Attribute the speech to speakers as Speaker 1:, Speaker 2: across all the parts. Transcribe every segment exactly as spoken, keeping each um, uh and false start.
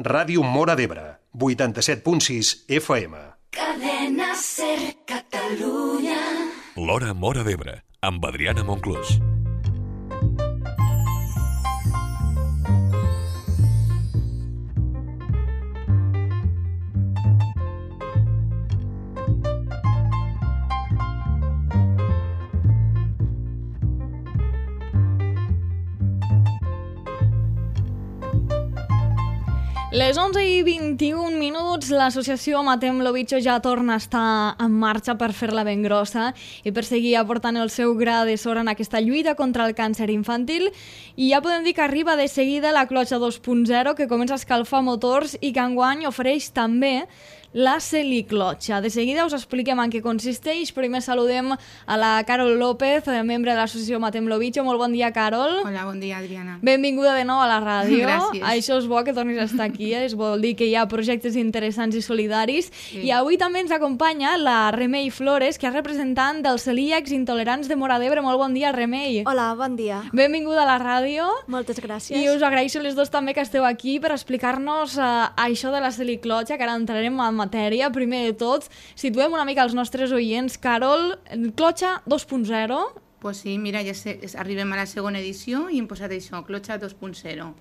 Speaker 1: Ràdio Móra d'Ebre, vuitanta-set punt sis F M.
Speaker 2: Cadena SER Catalunya.
Speaker 3: L'Hora Móra d'Ebre, amb Adriana Monclús.
Speaker 4: Les onze i vint-i-un minuts, l'associació Matem lo Bicho ja torna a estar en marxa per fer-la ben grossa i per seguir aportant el seu gra de sorra en aquesta lluita contra el càncer infantil. I ja podem dir que arriba de seguida la clotxa dos punt zero, que comença a escalfar motors i que enguany ofereix també la Celiclotxa. De seguida us expliquem en què consisteix. Primer saludem a la Carol López, membre de l'associació Matem lo Bicho. Molt bon dia, Carol.
Speaker 5: Hola, bon dia, Adriana.
Speaker 4: Benvinguda de nou a la ràdio.
Speaker 5: Gràcies.
Speaker 4: Això és bo que tornis a estar aquí, eh? Es vol dir que hi ha projectes interessants i solidaris. Sí. I avui també ens acompanya la Remei Flores, que és representant dels celíacs intolerants de Móra d'Ebre. Molt bon dia, Remei.
Speaker 6: Hola, bon dia.
Speaker 4: Benvinguda a la ràdio.
Speaker 6: Moltes gràcies.
Speaker 4: I us agraeixo les dos també que esteu aquí per explicar-nos uh, això de la Celiclotxa, que ara entrarem en matèria. Primer de tot, situem una mica els nostres oients. Carol, clotxa dos punt zero.
Speaker 5: Pues sí, mira, ja sé, arribem a la segona edició i hem posat això, clotxa dos punt zero.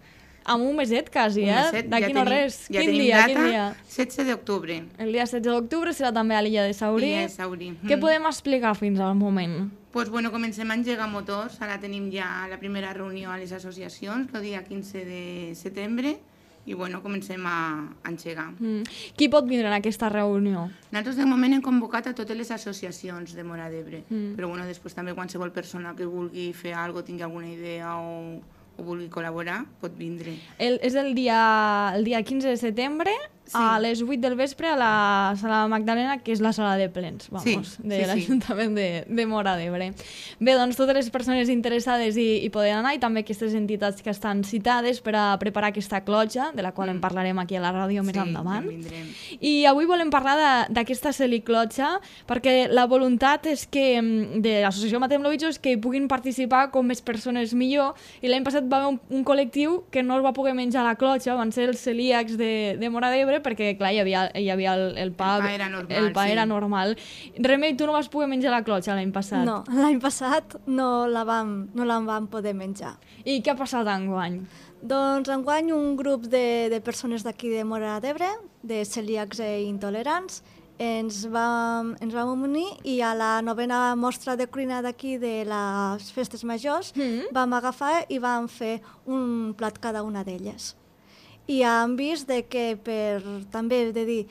Speaker 4: Amb un meset quasi, eh? D'aquí no res.
Speaker 5: Ja
Speaker 4: quin
Speaker 5: tenim
Speaker 4: dia,
Speaker 5: data,
Speaker 4: quin dia?
Speaker 5: setze d'octubre.
Speaker 4: El dia setze d'octubre serà també a l'illa de Saurí.
Speaker 5: L'illa de Saurí.
Speaker 4: Què
Speaker 5: Mm.
Speaker 4: podem explicar fins al moment?
Speaker 5: Pues bueno, comencem a engegar motors. Ara tenim ja la primera reunió a les associacions, el dia quinze de setembre, i bueno, comencem a engegar.
Speaker 4: Mm. Qui pot vindre en aquesta reunió?
Speaker 5: Nosaltres de moment hem convocat a totes les associacions de Móra d'Ebre,
Speaker 4: Mm.
Speaker 5: però bueno, després també qualsevol persona que vulgui fer alguna cosa, tingui alguna idea o, o vulgui col·laborar, pot vindre.
Speaker 4: El, és el dia, el dia quinze de setembre,
Speaker 5: Sí.
Speaker 4: a les vuit del vespre a la sala Magdalena, que és la sala de plens, vamos,
Speaker 5: Sí,
Speaker 4: de
Speaker 5: sí, sí.
Speaker 4: l'Ajuntament de, de Móra d'Ebre. Bé, doncs totes les persones interessades hi, hi poden anar, i també aquestes entitats que estan citades per a preparar aquesta clotxa, de la qual en parlarem aquí a la ràdio més
Speaker 5: Sí,
Speaker 4: endavant.
Speaker 5: ja vindrem.
Speaker 4: I avui volem parlar de- d'aquesta Celiclotxa, perquè la voluntat és que mm, de l'associació Matem lo Bicho és que hi puguin participar com més persones millor, i l'any passat va haver un, un col·lectiu que no es va poder menjar la clotxa, van ser els celíacs de, de Móra d'Ebre, perquè clar, hi havia, hi havia el, el pa,
Speaker 5: El pa era normal,
Speaker 4: el pa
Speaker 5: sí.
Speaker 4: era normal. Remei, tu no vas poder menjar la clotxa l'any passat.
Speaker 6: No, l'any passat no la vam, no la vam poder menjar.
Speaker 4: I què ha passat enguany?
Speaker 6: Doncs enguany un grup de, de persones d'aquí de Móra d'Ebre, de celíacs i intolerants, ens vam, ens vam unir i a la novena mostra de cuina d'aquí de les festes majors
Speaker 4: Mm.
Speaker 6: vam agafar i vam fer un plat cada una d'elles. I hem vist de que per també de dir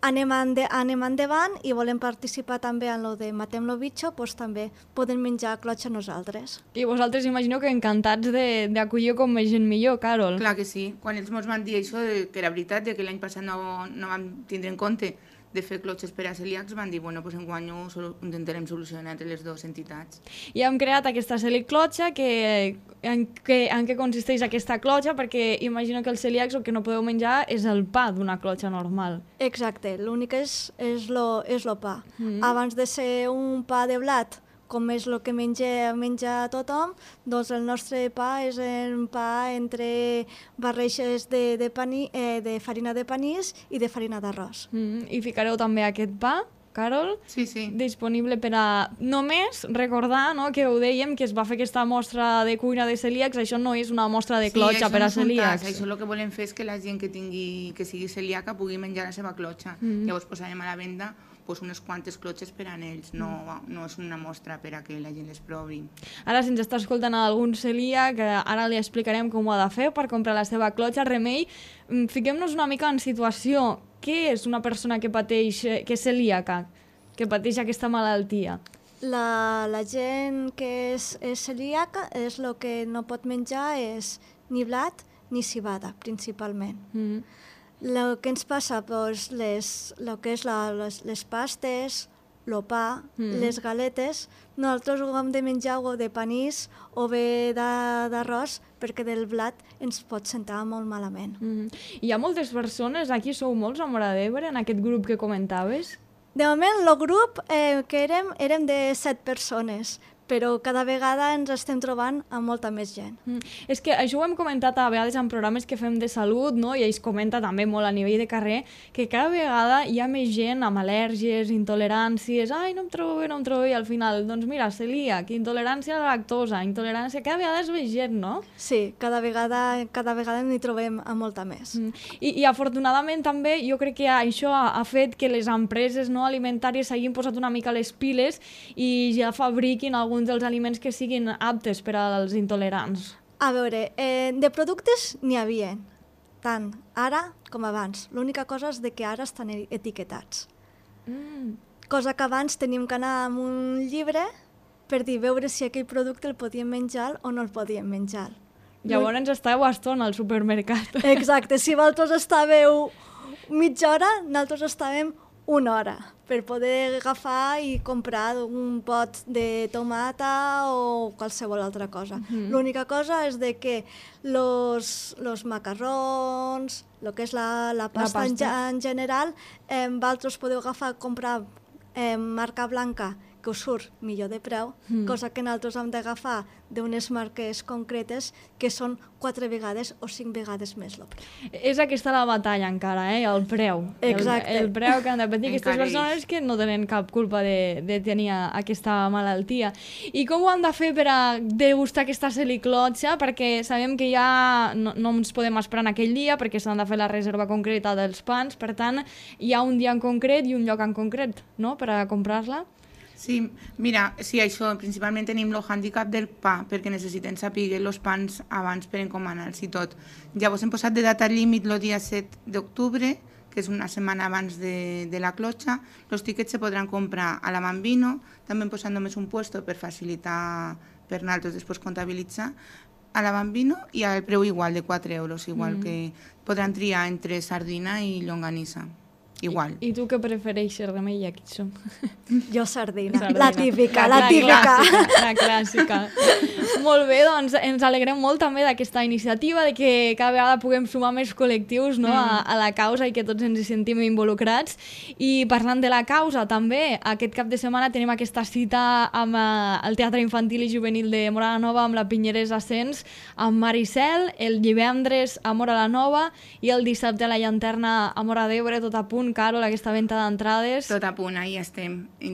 Speaker 6: anem, ende, anem endavant i volem participar també en lo de Matem lo Bicho, doncs també podem menjar clotxa nosaltres.
Speaker 4: I vosaltres imagineu que encantats de- d'acollir com més gent millor, Carol.
Speaker 5: Clar que sí. Quan ells ens van dir això, de, que era veritat, de que l'any passat no, no vam tindre en compte de fer clotxes per a celíacs, van dir, bueno, pues enguany ho solu intentarem solucionar entre les dues entitats.
Speaker 4: I hem creat aquesta Celiclotxa, que, en, que, en què consisteix aquesta clotxa, perquè imagino que els celíacs el que no podeu menjar és el pa d'una clotxa normal.
Speaker 6: Exacte, l'únic és, és, lo, és lo pa.
Speaker 4: Mm.
Speaker 6: Abans de ser un pa de blat, com és el que menja, menja tothom, doncs el nostre pa és un pa entre barreixes de, de, pani, eh, de farina de panís i de farina d'arròs.
Speaker 4: Mm. I ficareu també aquest pa, Carol,
Speaker 5: Sí, sí.
Speaker 4: disponible per a només recordar, no, que ho dèiem, que es va fer aquesta mostra de cuina de celíacs. Això no és una mostra de clotxa
Speaker 5: això
Speaker 4: per
Speaker 5: no
Speaker 4: a
Speaker 5: és un tas,
Speaker 4: celíacs.
Speaker 5: Això el que volem fer és que la gent que, tingui, que sigui celíaca pugui menjar la seva clotxa.
Speaker 4: Mm.
Speaker 5: Llavors posarem a la venda pues, unes quantes clotxes per a ells. No, no és una mostra per a que la gent les provi.
Speaker 4: Ara, si ens està escoltant algun celíac, ara li explicarem com ho ha de fer per comprar la seva clotxa. Remei, mm, fiquem-nos una mica en situació. Què és una persona que pateix, eh, que és celíaca, que pateix aquesta malaltia?
Speaker 6: La, la gent que és, és celíaca és el que no pot menjar és ni blat ni cibada, principalment.
Speaker 4: Mm.
Speaker 6: El que ens passa, doncs, les, lo que és la, les, les pastes, el pa,
Speaker 4: Mm.
Speaker 6: les galetes, nosaltres ho hem de menjar o de panís o bé de- d'arròs, perquè del blat ens pot sentar molt malament.
Speaker 4: Mm. Hi ha moltes persones, aquí sou molts a Móra d'Ebre, en aquest grup que comentaves?
Speaker 6: De moment, el grup eh, que érem, érem de set persones, però cada vegada ens estem trobant amb molta més gent.
Speaker 4: Mm. És que això ho hem comentat a vegades en programes que fem de salut, no? I ells comenta també molt a nivell de carrer, que cada vegada hi ha més gent amb al·lèrgies, intoleràncies, ai, no em trobo bé, no em trobo bé, i al final, doncs mira, celíac, intolerància a la lactosa, intolerància, cada vegada és més gent, no?
Speaker 6: Sí, cada vegada, cada vegada n'hi trobem a molta més.
Speaker 4: Mm. I, I afortunadament també jo crec que això ha, ha fet que les empreses no alimentàries s'hagin posat una mica les piles i ja fabriquin alguns dels aliments que siguin aptes per als intolerants.
Speaker 6: A veure, eh, de productes n'hi havia, tant ara com abans. L'única cosa és de que ara estan etiquetats.
Speaker 4: Mm.
Speaker 6: Cosa que abans teníem que anar amb un llibre per dir veure si aquell producte el podíem menjar o no el podíem menjar.
Speaker 4: Llavors ens estàveu a estona al supermercat.
Speaker 6: Exacte, si vosaltres estàveu mitja hora, nosaltres estàvem una hora per poder agafar i comprar un pot de tomata o qualsevol altra cosa. Mm-hmm. L'única cosa és de que los, los macarrons, el que és la, la pasta, la pasta. En, en general, eh, vosaltres podeu agafar, comprar eh, marca blanca que us surt millor de preu, mm. cosa que nosaltres hem d'agafar d'unes marques concretes que són quatre vegades o cinc vegades més el preu.
Speaker 4: És aquesta la batalla encara, eh? El preu.
Speaker 6: Exacte.
Speaker 4: El, el preu que han de patir aquestes persones que no tenen cap culpa de, de tenir aquesta malaltia. I com ho han de fer per a degustar aquesta celiclotxa? Perquè sabem que ja no, no ens podem esperar en aquell dia perquè s'han de fer la reserva concreta dels pans, per tant, hi ha un dia en concret i un lloc en concret, no?, per a comprar-la.
Speaker 5: Sí, mira, sí, això, principalment tenim el hàndicap del pa, perquè necessitem saber els pans abans per encomanar-los i tot. Llavors hem posat de data límit el dia set d'octubre, que és una setmana abans de, de la clotxa. Els tiquets se podran comprar a la Bambino, també hem posat només un puesto per facilitar per nosaltres després comptabilitzar, a la Bambino i al preu igual, de quatre euros, igual mm. que podran triar entre sardina i llonganissa. Igual.
Speaker 4: I, I tu què prefereixes, Remei, aquí som?
Speaker 6: Jo sardina,
Speaker 4: sardina.
Speaker 6: la típica, la,
Speaker 4: la
Speaker 6: típica.
Speaker 4: Clàssica, la clàssica. Molt bé, doncs ens alegrem molt també d'aquesta iniciativa, de que cada vegada puguem sumar més col·lectius, no, mm. a, a la causa i que tots ens hi sentim involucrats. I parlant de la causa, també, aquest cap de setmana tenim aquesta cita amb uh, el Teatre Infantil i Juvenil de Móra la Nova, amb la Pinyeres Ascens, amb Maricel, el divendres a Móra la Nova i el dissabte a la Llanterna a Móra d'Ebre, tot a punt. Carol, aquesta venda d'entrades.
Speaker 5: Tot a punt, ahí estem. I,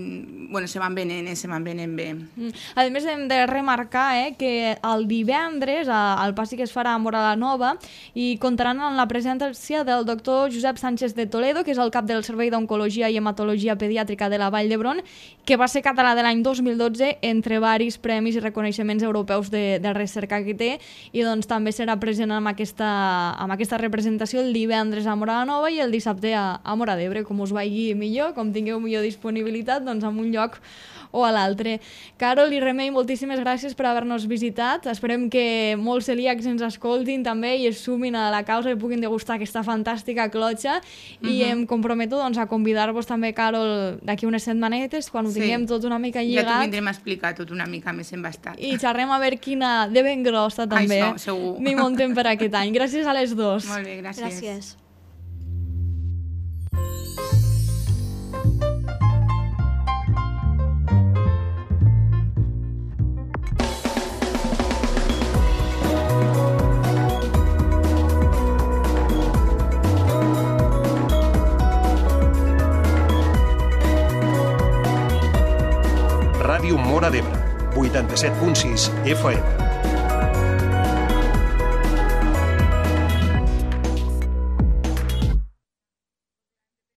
Speaker 5: bueno, se van venent, se van venent bé.
Speaker 4: Mm. A més, hem de remarcar eh, que el divendres el passi que es farà a Móra la Nova i comptaran amb la presència del doctor Josep Sánchez de Toledo, que és el cap del Servei d'Oncologia i Hematologia Pediàtrica de la Vall d'Hebron, que va ser català de l'any dos mil dotze entre varis premis i reconeixements europeus de, de recerca que té, i doncs també serà present amb aquesta, amb aquesta representació el divendres a Móra la Nova i el dissabte a, a Móra d'Ebre, com us vagi millor, com tingueu millor disponibilitat, doncs en un lloc o a l'altre. Carol i Remei, moltíssimes gràcies per haver-nos visitat. Esperem que molts celíacs ens escoltin també i es sumin a la causa i puguin degustar aquesta fantàstica clotxa. Uh-huh. I em comprometo doncs, a convidar-vos també, Carol, d'aquí unes setmanetes, quan ho sí. tinguem tot una mica lligat.
Speaker 5: Ja t'ho vindrem a explicar tot una mica més embastat.
Speaker 4: I xerrem a veure quina de ben grossa també.
Speaker 5: Això, segur.
Speaker 4: N'hi muntem per aquest any. Gràcies a les dos.
Speaker 5: Molt bé, gràcies.
Speaker 6: Gràcies.
Speaker 1: Ràdio Móra d'Ebre, vuitanta-set punt sis F M.